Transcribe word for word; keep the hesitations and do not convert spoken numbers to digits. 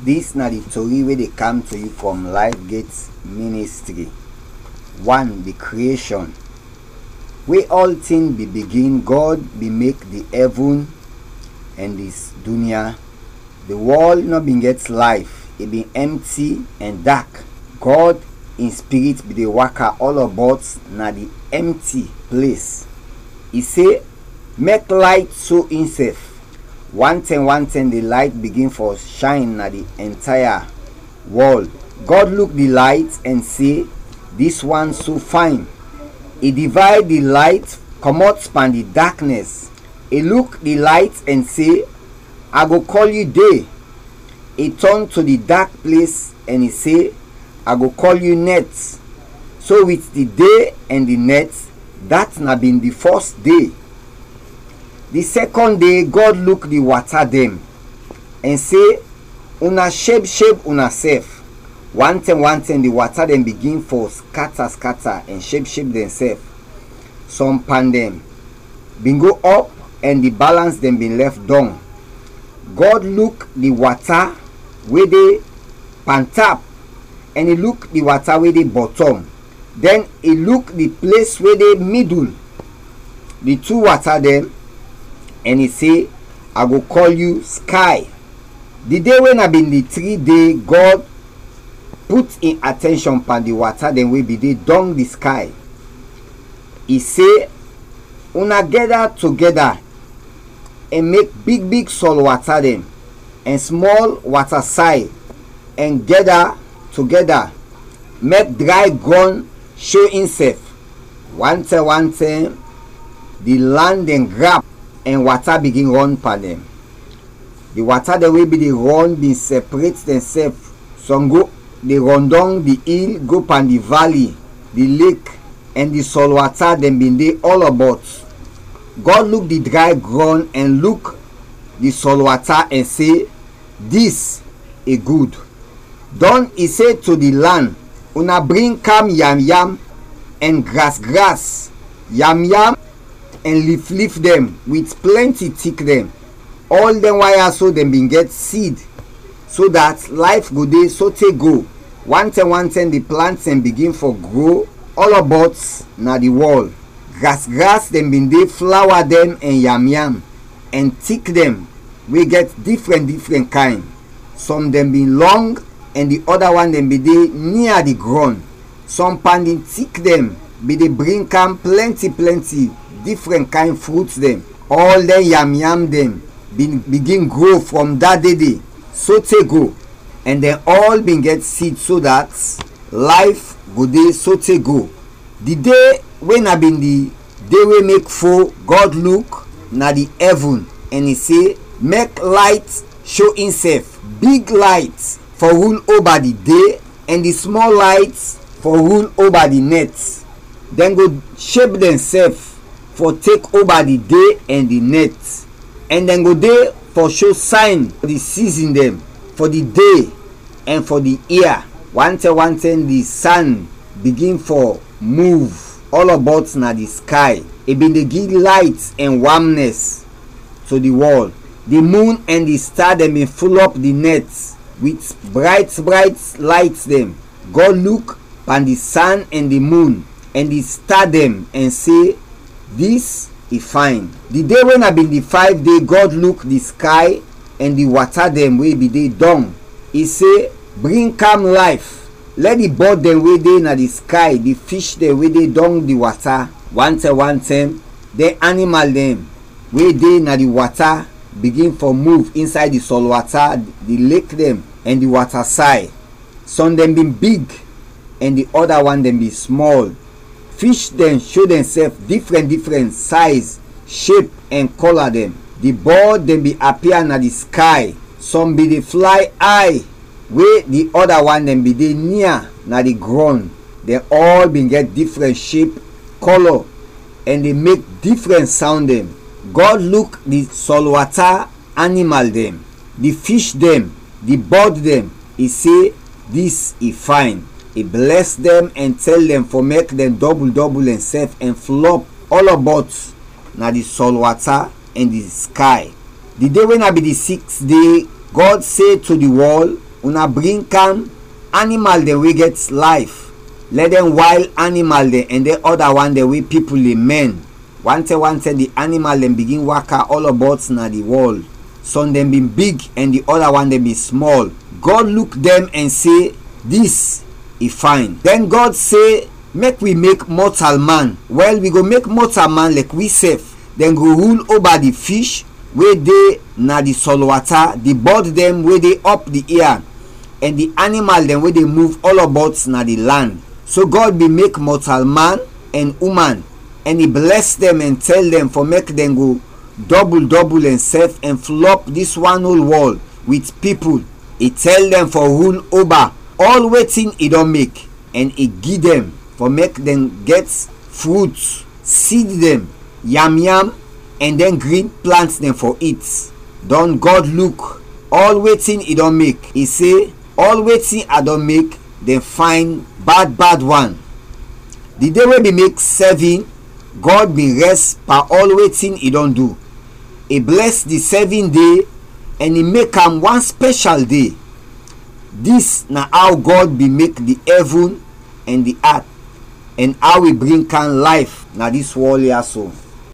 Dis na di tori wey dey kam to yu from Life Gate Ministry. One, di creation. We ɔltin bin bigin, God bin mek di ɛvun ɛn dis dunya. Di wɔl nɔ bin gɛt layf, i bin ɛmti ɛn dak. God in Spirit bin dey waka ɔlɔbɔt na di ɛmti ples. I se, "Mek layt so insɛf." Wantɛm wantɛm di layt bigin fɔ shayn na di ɛntaya wɔl. God luk di layt ɛn se, "Dis wan so fayn." I divayd di layt kɔmɔt pan di daknɛs. I luk di layt ɛn se, "A go kɔl yu de." I tɔn to di dak ples ɛn i se, "A go kɔl yu nɛt." So wit di de ɛn di nɛt, dat na bin di fɔs de. Di sɛkɔn de, Gɔd luk di wata dɛn ɛn se, "Una shebsheb unasɛf." Wantɛm wantɛm di wata dɛn bigin fɔ skata skata ɛn shebsheb dɛnsɛf. Sɔm pan dɛn bin go ɔp ɛn di balans dɛn bin lɛf dɔng. Gɔd luk di wata we de pantap ɛn i luk di wata we de bɔtɔm. Dɛn i luk di ples we de midul, di tu wata dɛn, ɛn i se, "A go kɔl yu skay." Di de we na bin di tri de, Gɔd put in atɛnshɔn pan di wata dɛn we bin de dɔng di skay. I se, "Una gɛda togɛda ɛn mek bigbig sɔl wata dɛn, ɛn smɔl wata say, ɛn gɛda togɛda, mek dray grɔn sho insɛf." Wantɛm wantɛm di lan dɛn grap ɛn wata bigin rɔn pan dɛn. Di wata dɛn we bin de rɔn bin sɛpret dɛnsɛf, sɔm go de rɔndɔng di il go pan di vali, di lek, ɛn di sɔl wata dɛn bin de ɔlɔbɔt. Gɔd luk di dray grɔn ɛn luk di sɔl wata ɛn se, "Dis i gud." Dɔn i se to di lan, "Una bring kam yamyam ɛn grasgras, yamyam ɛn liflif dɛn wit plɛnti tik dɛn." Ɔl dɛn wan ya so dɛn bin gɛt sid, so dat layf go de sote go. Wantɛm wantɛm di plant dɛn bigin fɔ gro ɔlɔbɔt na di wɔl. Grasgras dɛn bin de, flawa dɛn ɛn yamyam, ɛn tik dɛn we gɛt difrɛn difrɛn kayn. Sɔm dɛn bin lɔng ɛn di ɔda wan dɛn bin de nia di grɔn. Sɔm pan di tik dɛn bin de bring kam plɛnti plɛnti difrɛn kayn frut dɛn. Ɔl dɛn yamyam dɛn bin bigin gro frɔm da de de sote go, ɛn dɛn ɔl bin gɛt sid so dat layf go de sote go. Di de we na bin di de we mek fo, Gɔd luk na di ɛvun, ɛn i se, "Mek layt sho insɛf, big layt fɔ rul oba di de, ɛn di smɔl layt fɔ rul oba di nɛt. Dɛn go sheb dɛnsɛf fɔ tek oba di de ɛn di nɛt, ɛn dɛn go de fɔ sho sayn fɔ di sizin dɛn, fɔ di de ɛn fɔ di ia." Wantɛm wantɛm di san bigin fɔ muv ɔlɔbɔt na di skay. I bin de gi layt ɛn wamnɛs to di wɔl. Di mun ɛn di sta dɛn bin fulɔp di nɛt wit brayt brayt layt dɛn. Gɔd luk pan di san ɛn di mun ɛn di sta dɛn ɛn se, "Dis i fayn." Di de we na bin di fayv de, Gɔd luk di skay ɛn di wata dɛn we bin de dɔng. I se, "Bring kam layf. Lɛ di bɔd dɛn we de na di skay, di fish dɛn we de dɔng di wata, wantɛm wantɛm dɛn animal dɛn we de na di wata bigin fɔ muv insay di sɔl wata, di lek dɛn, ɛn di wata say." Sɔm dɛn bin big, ɛn di ɔda wan dɛn bin smɔl. Fish dɛn sho dɛnsɛf difrɛn difrɛn sayz, shep, ɛn kɔla dɛn. Di bɔd dɛn bin apia na di skay. Sɔm bin de flay ay, we di ɔda wan dɛn bin de nia na di grɔn. Dɛn ɔl bin gɛt difrɛn shep, kɔlɔ, ɛn de mek difrɛn sawn dɛn. Gɔd luk di sɔl wata animal dɛn, di fish dɛn, di bɔd dɛn, i se, "Dis i fayn." I blɛs dɛn ɛn tɛl dɛn fɔ mek dɛn dɔbul dɔbul dɛnsɛf ɛn flɔp ɔlɔbɔt na di sɔl wata ɛn di skay. Di de we na bin di siks de, Gɔd se to di wɔl, Una bring kam animal dɛn we gɛt layf, lɛ dɛn wayl animal dɛn ɛn dɛn ɔda wan dɛn we pipul de mɛn. Wantɛm wantɛm di animal dɛn bigin waka ɔlɔbɔt na di wɔl. Sɔm dɛn bin big ɛn di ɔda wan dɛn bin smɔl. Gɔd luk dɛn ɛn se, "Dis i fayn." Dɛn Gɔd se, "Mek wi mek mɔtalman. Wɛl, wi go mek mɔtalman lɛk wisɛf. Dɛn go rul oba di fish we de na di sɔlwata, di bɔd dɛn we de ɔp di ia, ɛn di animal dɛn we de muv ɔlɔbɔt na di lan." So Gɔd bin mek mɔtalman ɛn uman, ɛn i blɛs dɛn ɛn tɛl dɛn fɔ mek dɛn go dɔbul dɔbul dɛnsɛf ɛn flɔp dis wan ol wɔl wit pipul. I tɛl dɛn fɔ rul oba ɔl wetin i dɔn mek, ɛn i gi dɛn fɔ mek dɛn gɛt frut, sid dɛn, yamyam, ɛn dɛn grin plant dɛn fɔ it. Dɔn Gɔd luk ɔl wetin i dɔn mek, i se, "Ɔl wetin a dɔn mek, dɛn fayn bad bad wan." Di de we bin mek sɛvin, Gɔd bin rɛs pan ɔl wetin i dɔn du. I blɛs di sɛvin de ɛn i mek am wan spɛshal de. Dis na aw Gɔd bin mek di ɛvin ɛn di at, ɛn aw i bring kam layf na dis wɔl ya so.